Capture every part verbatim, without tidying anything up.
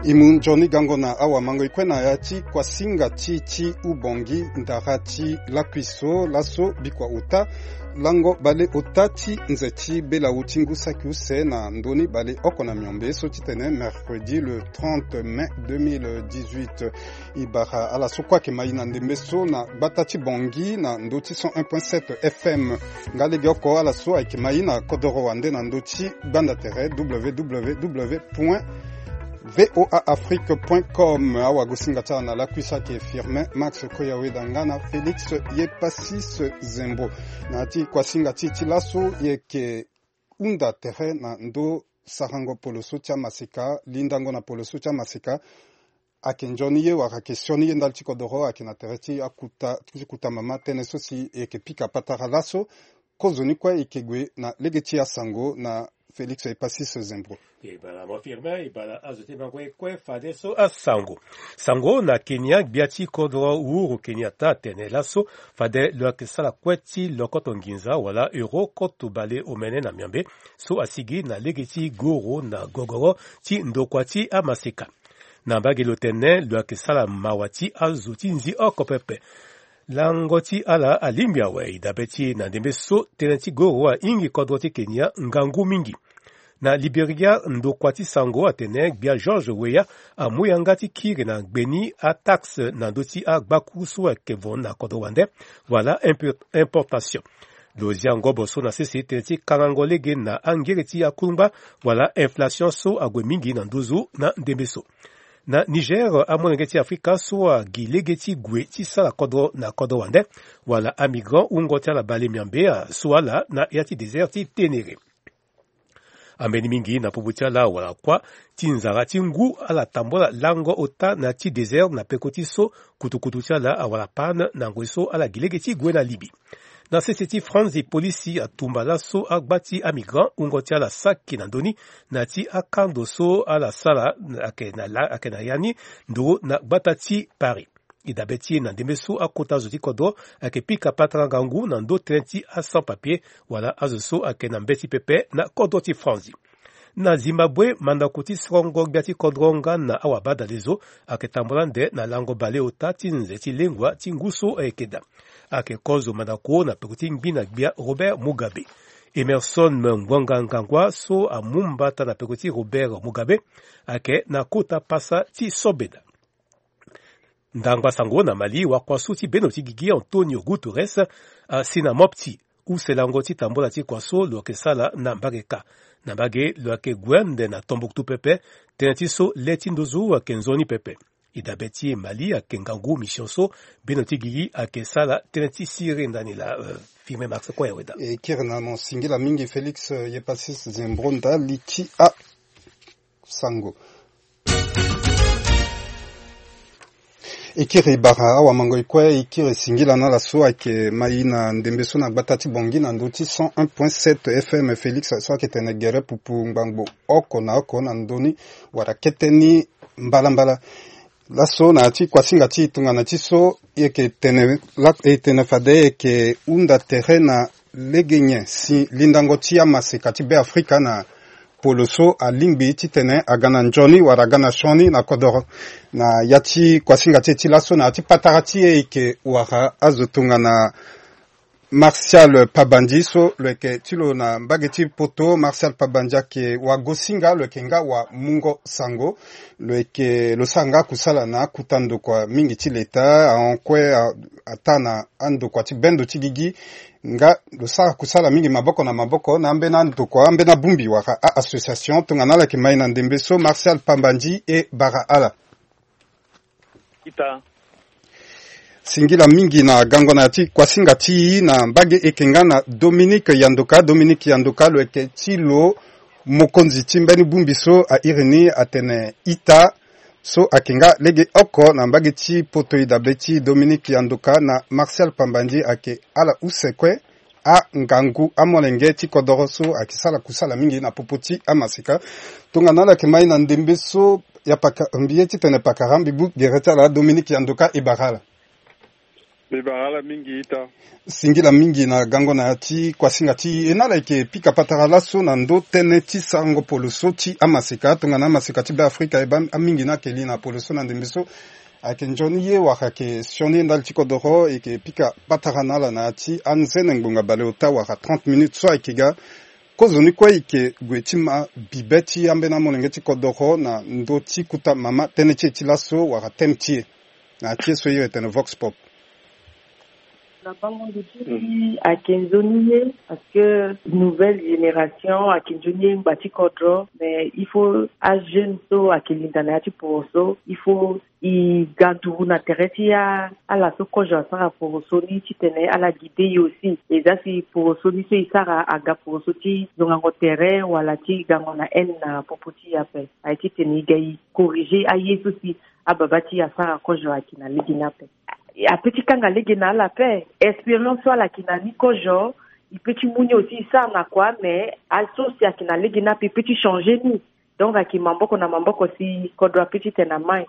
E mu nzoni gango na awamango e kue na ya ti kuasinga ti ti hubongi ndara ti lakui so laso bikua ota lango baleota ti nze ti belawu ti ngu saki use na ndö ni baleoko na miombe so titene mercredi le trente mai deux mille dix-huit. E bara ala so kue ayeke ma e na ndembe so na gbata ti Bangui na ndö ti cent un point sept F M. Nga legeoko ala so ayeke ma e na kodoro wande na ndö ti gbanda tere w w w point voa afrique point com. Awagosinga ti ala na lakui so ayeke Firmin Max Koyaweda nga na Félix Yepasis Zembo. Na ya ti kuasinga ti e ti laso e yeke hunda tere na ndö sarango poloso ti amaseka, lindango na poloso ti amaseka. Ayeke nzoni ye wala ayeke sioni ye ndali ti kodoro, ayeke na tere ti akuta ti kuta mama tënë so si e yeke pika patara laso. Kozoni kue e yeke gue na lege ti asango na Félix Epasis Zembro. E bala mo Firmin, e bala azo ti bango ye kue fadeso asango. Sango na Kenya, gbia ti kodro Uhuru Kenyatta atene laso fade lo yeke sara kue ti lokoto nginza wala euro koto bale omene na miombe so asigi na lege ti goro na gogoro ti ndokua ti amaseka. Na mbage lo tene lo yeke sara mawa ti azo ti nzi oko pepe. Lango ti ala alingbi awe. E dabe ti e na ndembe so tënë ti goro ahingi kodro ti Kenya ngangu mingi. Na Liberia, ndokua ti sango atene gbia George Weah amu yanga ti kiri na ngbeni ataxe na ndö ti agbaku so ayeke vo na kodro wande wala impo-, importation. Lo zia ngobo so na sese tënë ti kangango lege na angere ti akungba wala inflation so ague mingi na nduzu na ndembe so. Na Niger, amolenge ti Afrika so agi lege ti gue ti sara kodro na kodro wande wala amigrant wungo ti ala bale miombe asu ala na ya ti désert ti Ténéré. Ambeni mingi na popo ti ala wala kuâ ti nzara ti ngu ala tambula lango ota na ti désert na peko ti so kutukutu ti ala awara panne na ngoi so ala gi lege ti gue na Libye. Na sese ti Franzi, polisi atumba laso agba ti amigrant wungo ti ala saki na ndö ni na ti akando so ala sara ayeke na la-, ayeke na ya ni nduru na gbata ti Paris. E dabe ti e na ndembe so akota zo ti kodro ayeke pika patara ngangu na ndö tënë ti asans papier wala azo so ayeke na mbeti pepe na kodro ti Franzi. Na Zimbabwe, mandako ti sorongo gbia ti kodro nga na awabadalezo ayeke tambula ande na lango baleota ti nze ti lengua ti ngu so ayeke daa. Ayeke kozo mandako na peko ti ngbi na gbia Robert Mugabe. Emerson Mnangagwa so amu mbata na peko ti Robert Mugabe ayeke na kota pasa ti sobeda. Ndangba sango na Mali, wakua so ti bendo ti gigi Antonio Guterres asi na Mopti use lango ti tambula ti kua so lo yeke sara na mbage kâ. Na mbage lo yeke gue ande na Tombouctou pepe, tënë ti so le ti nduzu ayeke nzoni pepe. E dabe ti e Mali ayeke ngangu mission so bendo ti gigi ayeke sara tënë ti siriri ndani laa, euh, Firmin Max Koyaweda. E kiri na mo singila mingi Félix, euh, Yepasis Zembro ndali ti a sango. E kiri bara awamango e kue, e kiri singila na ala so ayeke ma e na ndembe so na gbata ti Bangui na ndö ti cent un point sept F M. Félix so ayeke tene gere pupu ngbangbo oko na oko na ndö ni wala kete ni mbalambala. Laso na ya ti kuasinga ti e tongana ti so e yeke tene la-, e tene fade e yeke hunda tere na lege nyen si lindango ti amaseka ti Beafrika na polo so alingbi titene aga na nzoni wala aga na sioni na kodoro. Na ya ti kuasinga ti e ti laso na ya ti patara ti e e yeke wara azo tongana Martial Pabandji so lo yeke ti lo na mbage ti poto. Martial Pabandji ayeke wagosinga, lo yeke nga wamungo sango. Lo yeke, lo sara nga kusala na akuta ndokua mingi ti leta, ahon kue a, ataa na andokua ti bendo ti gigi. Nga lo sara kusala mingi maboko na maboko na ambeni andokua, ambeni abongbi wala a-association. Tongana ala yeke ma e na ndembe so, Martial Pabandji, e bara ala. Ita. Singila mingi na gango na ya ti kuasinga ti e na mbage. E yeke nga na Dominique Yandoka. Dominique Yandoka, lo yeke ti lo mokonzi ti mbeni bongbi so a iri ni atene ita, so ayeke nga lege oko na mbage ti poto. E dabe ti Dominique Yandoka na Martial Pabandji ayeke ala use kue angangu amolenge ti kodoro so ayeke sara kusala mingi na popo ti amaseka. Tongana ala yeke ma e na ndembe so, ya paka, mbi ye titene pakara mbi bu gere ti ala. Dominique Yandoka, e bara ala. Mbi bara ala mingi ita. Singila mingi na gango na ya ti kuasinga ti e na ala yeke pika patara laso na ndö tënë ti sarango polo so ti amaseka tongana amaseka ti Beafrika e baa amingi ni ayeke li na polo so na ndembe so. Ayeke nzoni ye wala ayeke sioni ye ndali ti kodoro e yeke pika patara na ala na ya ti anzene ngbonga baleota wala trente minutes so ayeke ga. Kozoni kue e yeke gue ti ma bibe ti ambeni amolenge ti kodoro na ndö ti kota mama tënë ti e ti laso wala thème ti e. Na ti e so iri etene Vox Pop. Na bango ndo ti si ayeke nzoni ye parce que nouvelle génération ayeke nzoni ye ngba ti kodro, mais il faut ajeune so ayeke linda na ya ti poro so il faut e ga nduru na tere ti a ala so kozo asara poro so ni titene ala guide e aussi. Eza si poro so ni so e sara aga poro so ti zongango tere wala ti gango na haine na popo ti e ape. Aye titene e ga e corriger aye so si ababa ti e asara kozo ayeke na lege ni ape. Ape ti kanga lege na ala ape. Expérience so ala yeke na ni kozo e peut ti mu ni aussi e sara na kua, mais aye so si ayeke na lege ni ape e peut ti changer ni. Donc ayeke maboko na maboko si kodro ape ti tene na mai.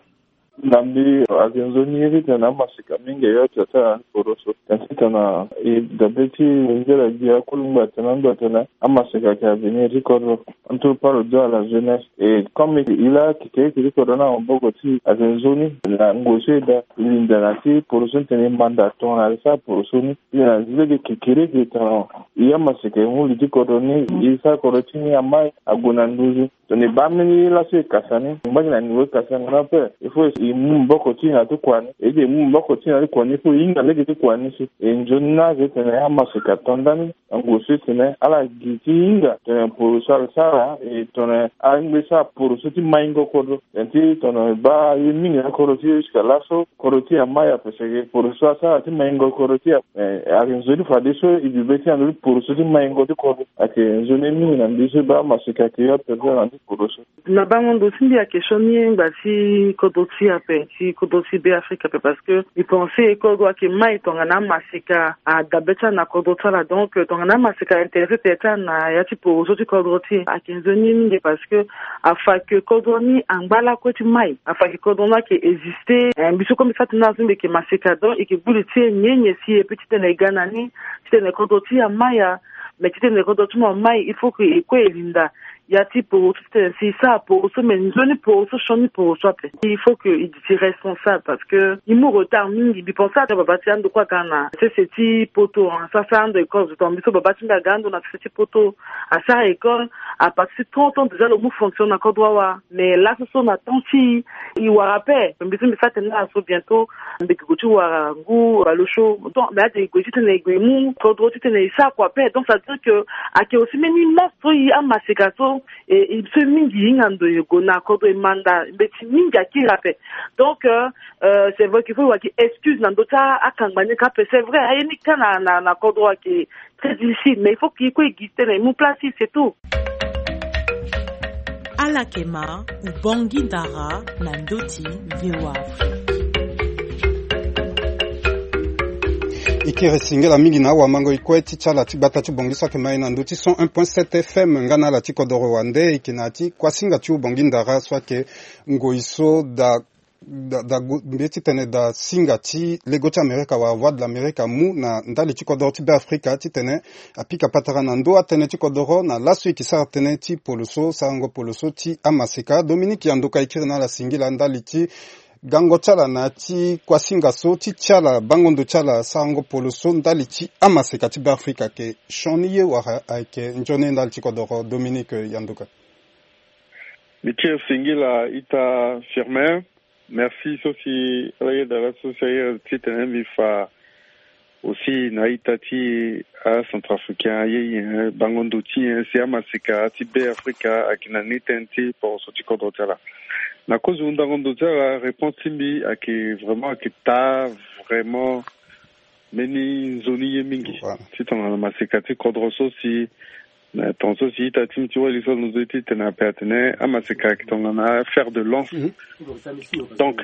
Na mbi ayeke nzoni ye titene amaseka mingi ayo ti asara ni poro so. Tene titene e dabe ti e nzela gi akulu ngba tene ando atene amaseka ayeke avenir ti kodro. Entre par le dos à la jeunesse. Et comme il a quitté, quitté kodro na maboko ti e ayeke nzoni na ngoi so e daa e linda na ti poro so ni tene e manda tongana e sara poro so ni. E na zi lege kekereke tongana e amaseka e mu li ti kodro ni e sara kodro ti ni amai ague na nduzu. Tongana e baa mbeni laso e kasa ni ngba gi na niveau e kasa ni na ape. Il faut e mu maboko ti e na ti kua ni. E yeke mu maboko ti e na ti kua ni il faut e hinga lege ti kua ni si. E nzoni ni aze tene amaseka to ndani. Ango so e tene ala gi ti hinga tene poro so ala sara e tongana ala ngbe sara poro so ti maingo kodro. Tene ti tongana e baa ye mingi na kodro ti e jusqu'à laso kodro ti e amai ape seke poro so asara ti maingo kodro ti e ape. Eh, ayeke nzoni fadeso e bibe ti e na ndö ti poro so ti maingo ti kodro. Ayeke nzoni ye mingi na mbi so e baa amaseka ayeke yo ape so na ndö ti poro so. Na bango ndo ti mbi ayeke sioni ye ngba ti kodro ti e ape, ti kodro ti Beafrika ape, parce que mbi pense kodro ayeke mai tongana amaseka adabe ti ala na kodro ti ala. Donc tongana amaseka intéressé tene ti ala na ya ti poro so ti kodro ti e ayeke nzoni ye mingi, parce que afa ke kodro ni angba lakue ti mai, afa ke kodro ni ayeke existe. Eh, mbi so kue mbi sara tene na ala so mbi yeke maseka, donc e yeke gbu li ti e nyenye si e peut titene e ga na ni titene kodro ti e amai. Mais titene kodro ti mo amai il faut que e kue e linda ya ti poro so titene si e sara poro so, mais nzoni poro so sioni poro so ape. Il faut que e gi ti responsable, parce que e mu retard mingi. Mbi pense ata baba ti ando kue aga na sese ti poto, hein, sasa ando école, donc mbi so baba ti mbi aga ando na sese ti poto, asara école à partir ti trente ans déjà, lo mu fonction na kodro awa. Mais laso so na temps ti e wara ape. Mbi so mbi sara tene na ala so bientôt mbi yeke gue ti wara ngu baleosio. Donc mais ade e gue titene e gue e mu kodro titene e sara kua ape. Donc ça veut dire que ayeke aussi mbeni monstre so e amaseka so e, e so mingi e hinga ndo e gue na kodro e manda mbeti mingi akiri ape. Donc euh, euh, c'est vrai qu'il faut e wara gi excuse na ndö ti akangba ni ka ape. C'est vrai aye ni ka na, na, na kodro ayeke très difficile, mais il faut que e kue e gi titene e mu place ti e, c'est tout. Ala yeke ma, Ubongi Ndara na ndö ti V O A Afrique. E kiri singila mingi na awamango e kue ti ti ala ti gbata ti Bangui so ayeke ma e na ndö ti cent un point sept F M nga na ala ti kodoro wande. E yeke na ya ti kuasinga ti Ubongi Ndara so ayeke ngoi so daa da, da gu-, mbi ye titene da singa ti lego ti Amerika wala Voix de l'Amérique amu na ndali ti kodoro ti Beafrika titene apika patara na ndö atënë ti kodoro na laso e yeke sara tënë ti polo so, sarango polo so ti amaseka. Dominique Yandoka e kiri na ala singila ndali ti gango ti ala na ya ti kuasinga so ti ti ala bango ndo ti ala sarango polo so ndali ti amaseka ti Beafrika ayeke sioni ye wala ayeke nzoni ye ndali ti kodoro. Dominique Yandoka. Mbi kiri singila ita Firmin. Merci so si ala yeda laso si aye titene mbi fa aussi na ita ti acentrafricain aye, eh, bango ndo ti, eh, si amaseka ti Beafrika ayeke na ni tënë ti poroso ti kodro ti ala. Na kozo hundango ndo ti ala, réponse ti mbi ayeke vraiment, ayeke taa vraiment mbeni nzoni ye mingi. Voilà. Ti tongana maseka ti kodro so si, na tongaso si ita ti mbi ti wali so alondo titene ape atene amaseka ayeke tongana fer de lance. Mhm. Donc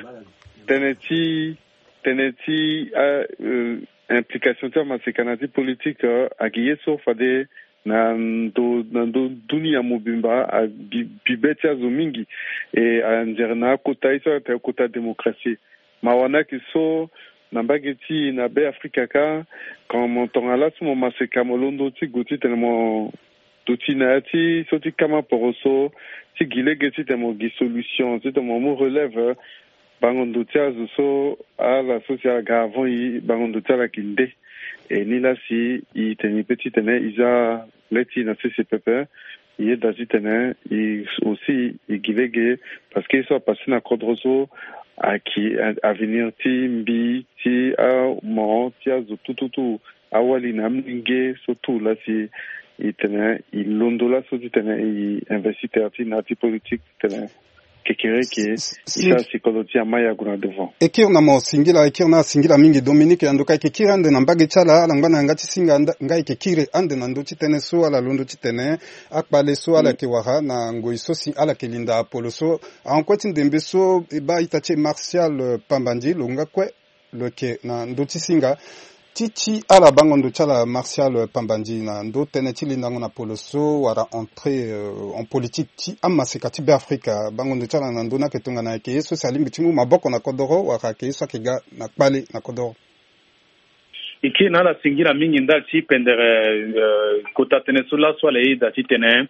tënë ti, tënë ti, euh, euh, implication ti amaseka na ya ti politique, euh, ayeke ye so fade na ndo, na ndo dunia mobimba, abi, bibe ti azo mingi. E anzere na akota ye so atene kota démocratie. Mawa ni ayeke so, Na mbage ti na Be Afrika kâ, quand mo tongana laso mo maseka mo londo ti gue titene mo duti na ya ti so ti kama poroso ti gi lege titene mo gi solution titene mo mu relève bango ndo ti azo so ala so si ala ga avant e, bango ndo ti ala ayeke nde. E ni la si e tene e pe titene e za le ti e na sese pepe. E yeda titene e aussi e gi lege, parce que ye so apase na kodro so ayeke avenir ti mbi ti amoro ti azo tout tout tout, awali na amolenge so tout la si e tene e londo laso titene e investir tere ti e na ya ti politique titene kekereke e sara si kodro ti e ama e ague na devant. E kiri na mo singila, e kiri na ala singila mingi. Dominique Yandoka, e yeke kiri ande na mbage ti ala, ala ngba na yanga ti singa, nga e yeke kiri ande na ndö ti tënë so ala londo titene akpale so ala yeke wara na ngoi so si ala yeke linda apolo so. Ahon kue ti ndembe so e baa ita ti e Martial Pambandi lo nga kue lo yeke na ndö ti singa ti ti ala bango ndo ti ala Martial Pambandi na ndö tënë ti lindango na polo so wala entrée en politique ti amaseka ti Be Afrika. Bango ndo ti ala na ndö ni ayeke tongana ayeke ye so si alingbi ti mu maboko na kodoro wala ayeke ye so ayeke ga na kpale na kodoro. E kiri na ala singila mingi ndali ti pendere kota tënë so laso ala yeda titene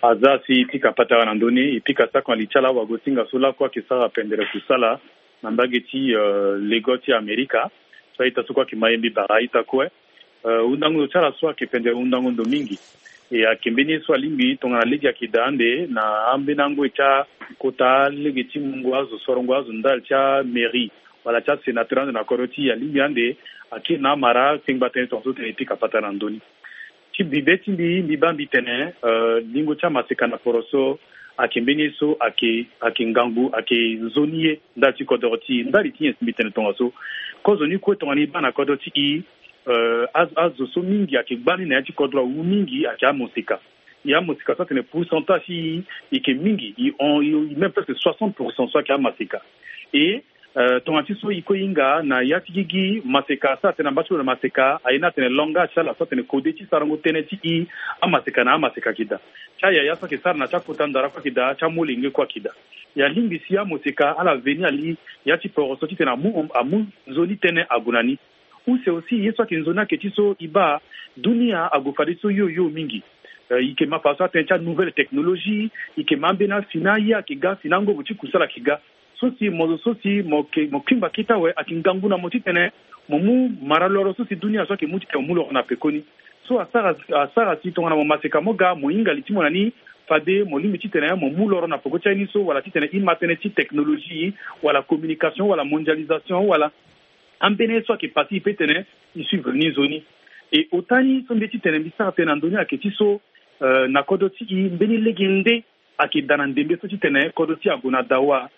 aza si e pika patara na ndö ni, e pika sako na li ti ala wago singa so lakue ayeke sara pendere kusala na mbage ti lego ti Amerika. So a-ita so kue ayeke ma ye mbi bara a-ita kue. Hundango ndo ti ala so ayeke pendere hundango ndo mingi. E ayeke mbeni ye so alingbi tongana lege ayeke daa ande na ambeni angoi ti akota lege ti mungo azo sorongo azo ndali ti amairie wala ti asénateur ande na kodro ti e alingbi ande akiri na amara kpengba tënë tongaso tene e pika patara na ndö ni. Ti bibe ti mbi mbi baa mbi tene lingo ti amaseka na poro so ayeke mbeni ye so ayeke ayeke ngangu ayeke nzoni ye ndali ti kodoro ti e ndali ti nyen si mbi tene tongaso. Kozo ni kue tongana e baa na kodro ti e azo so mingi ayeke gba ni na ya ti kodro awu mingi ayeke amoseka. E amoseka so atene pourcentage ti e e yeke mingi e hon e même presque soixante pour cent so ayeke amaseka. E tongana ti so e kue e hinga na ya ti gigi maseka so atene na mba ti lo na maseka aye ni atene langage ti ala so atene kode ti sarango tënë ti e. Amaseka na amaseka ayeke daa ti ayaya so ayeke sara na ti akota ndara kue ayeke daa ti amolenge kue ayeke daa. E alingbi si amoseka ala veni ali ya ti poro so titene amu amu nzoni tënë ague na ni. Use aussi ye so ayeke nzoni ayeke ti so e baa dunia ague fadeso yo yo mingi. E yeke ma fadeso atënë ti anouvelle technologie e yeke ma ambeni asi na aye ayeke ga asi na angobo ti kusala ayeke ga. So si mo zo so si mo yeke mo kingba kete awe ayeke ngangu na mo titene mo mu mara loro so si dunia so ayeke mu titene mo mu loro na pekoni. So asara asara si tongana mo maseka mo ga mo hinga li ti mo na ni fade mo lingbi titene mo mu loro na peko ti aye ni so wala titene e ma tënë ti technologie wala communication wala mondialisation wala ambeni ye so ayeke pasi e pe tene e suivre ni nzoni. E ota ni so mbi ye titene mbi sara tënë na ndö ni ayeke ti so na kodro ti e mbeni lege nde ayeke daa na ndembe so titene kodro ti e ague na dawa.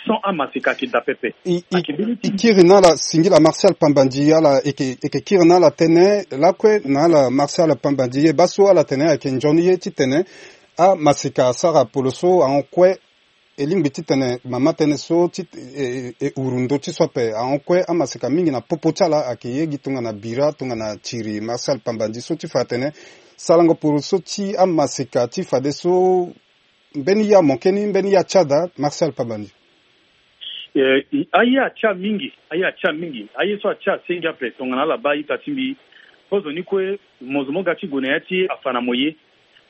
Sans amaseka ayeke daa pepe. E kiri na ala singila Martial Pambandi ala e yeke kiri na ala tënë lakue na ala Martial Pambandi ye baa so ala tene ayeke nzoni ye titene amaseka asara polo so ahon kue. E lingbi titene mama tënë so ti e huru ndö ti so ape ahon kue amaseka mingi na popo ti ala ayeke ye gi tongana bira tongana tiri Martial Pambandi so ti fa atene sarango poro so ti amaseka ti fadeso. Mbeni ya moke ni mbeni ya ti ada Martial Pambandi. Aye atia mingi aye atia mingi aye so atia asengi ape tongana ala baa ita ti mbi. Kozo ni kue mo zo mo ga ti gue na ya ti afa na mo ye.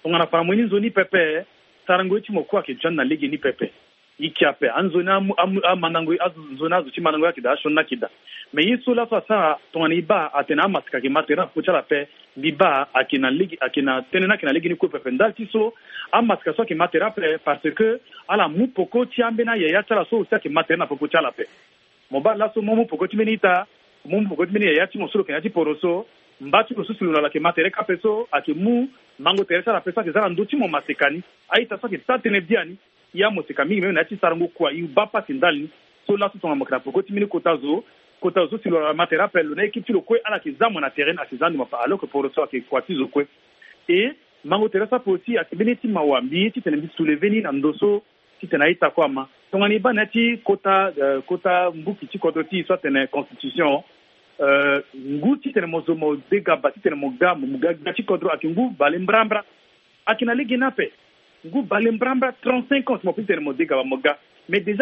Tongana afa na mo ye ni nzoni pepe. Sarango ye ti mo kue ayeke zia ni na lege ni pepe. E ke ape anzoni amandango ye azo nzoni azo ti mandango ye ayeke daa asioni ni ayeke daa. Mais ye so laso asara tongana e baa atene amaseka ayeke ma tere na popo ti ala ape. Mbi baa ayeke na lege ayeke na tënë ni ayeke na lege ni kue pepe ndali ti so amaseka so ayeke ma tere ape parce que ala mu poko ti ambeni ayaya ti ala so aussi ayeke ma tere na popo ti ala ape. Mo baa laso mo mu poko ti mbeni ita mo mu poko ti mbeni yaya ti mo so lo yeke na ya ti poro so mba ti lo so si lo na lo ayeke ma tere kâ ape so ayeke mu mango tere ti ala ape so ayeke za na ndö ti mo maseka ni. A-ita so ayeke sara tënë biani. E amoseka mingi même na ya ti sarango kua e baa pasi ndali ni. So laso tongana mo yeke na poko ti mbeni kota zo kota zo so si lo na lo ayeke ma tere ape lo na équipe ti lo kue ala yeke za mo na tere ni ayeke za ande mo ape alors que poro so ayeke kua ti zo kue. E mango tere so ape aussi ayeke mbeni ye ti mawa mbi ye titene mbi souleve ni na ndö so titene a-ita kue ama. Tongana e baa na ya ti kota kota mbuki ti kodro ti e so atene constitution ngu titene mo zo mo degaba titene mo ga mo ga ga ti kodro ayeke ngu bale mbrambra. Ayeke na lege ni ape. Ngu bale mbrambra trente-cinq ans si mo pe titene mo degaba mo ga. Mais déjà